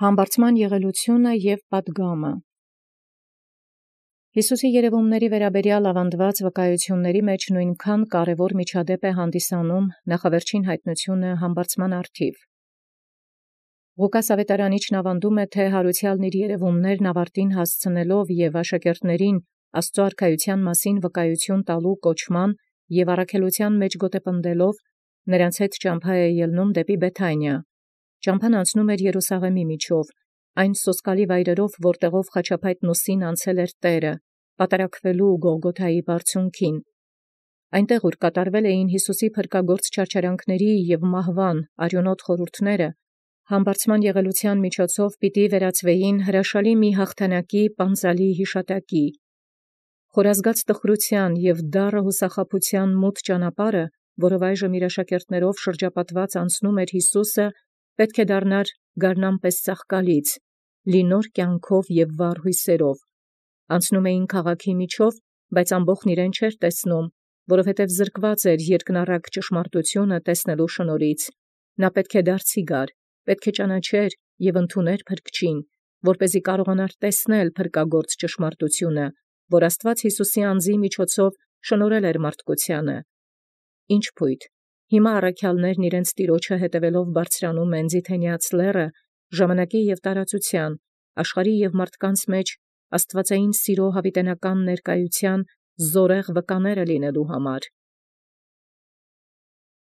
Համբարձման եղելութիւնը և պատգամը։ Յիսուսի երևումացն վերաբերյալ աւանդելոց վկայութիւնացն նոյնքան կարևոր միջադեպ հանդիսանում նախավերջին յայտնութիւնը համբարձման առթիվ։ Ղուկաս աւետարանիչն աւանդեալ թէ յարուցեալ իր երևումսն աւարտին հասցնելով և աշակերտացն Աստուծոյ արքայութեան վկայութիւն տալու կոչման և առաքելութեան գոտեպնդելով, նոցա հետ ելանէր դեպի Բեթանիա. ճամփան անցանէր Երուսաղէմի միջով, այն սոսկալի վայրերով, որտեղով խաչափայտն անցեալ Տէրը, պատարակեալ Գողգոթայի բարձունքին. այնտեղ ուր կատարեալ Յիսուսի փրկագործ չարչարանքացն և մահվան արիւնոտ խորհուրդս, համբարձման եղելութեան պիտի վերածվեին հրաշալի հաղթանակի պանծալի յիշատակի։ Խորազգած տխրութեան և դառը յուսախաբութեան ճանապարհը, որով այժմ իր աշակերտաւք շրջապատված անցանէր Յիսուս, պետք է դառնար գարնան պես ծաղկալից, նոր կենքով և վառ յուսերով։ Անցանէին քաղաքի միջով, բայց ամբոխն չէր տեսնում, քանզի զրկված երկնառակ ճշմարտութիւնն տեսնելու շնորհից. պետք է դարձի գար, պետք է ճանաչիցի և ընդունիցի փրկչին, որպէս զի կարողանար տեսնել փրկագործ ճշմարտութիւնը, որ Աստուած Յիսուսի անձին շնորհել էր մարդկութեանը։ Ի՛նչ փոյթ, հիմա առաքեալքն իրենց Տեառն հետևելով բարձրանային Ձիթաստանեաց լերն, ժամանակի և տարածութեան, աշխարհի և մարդկան աստուածեղէն սիրոյ յաւիտենական ներկայութեան զորեղ վկանս լինել։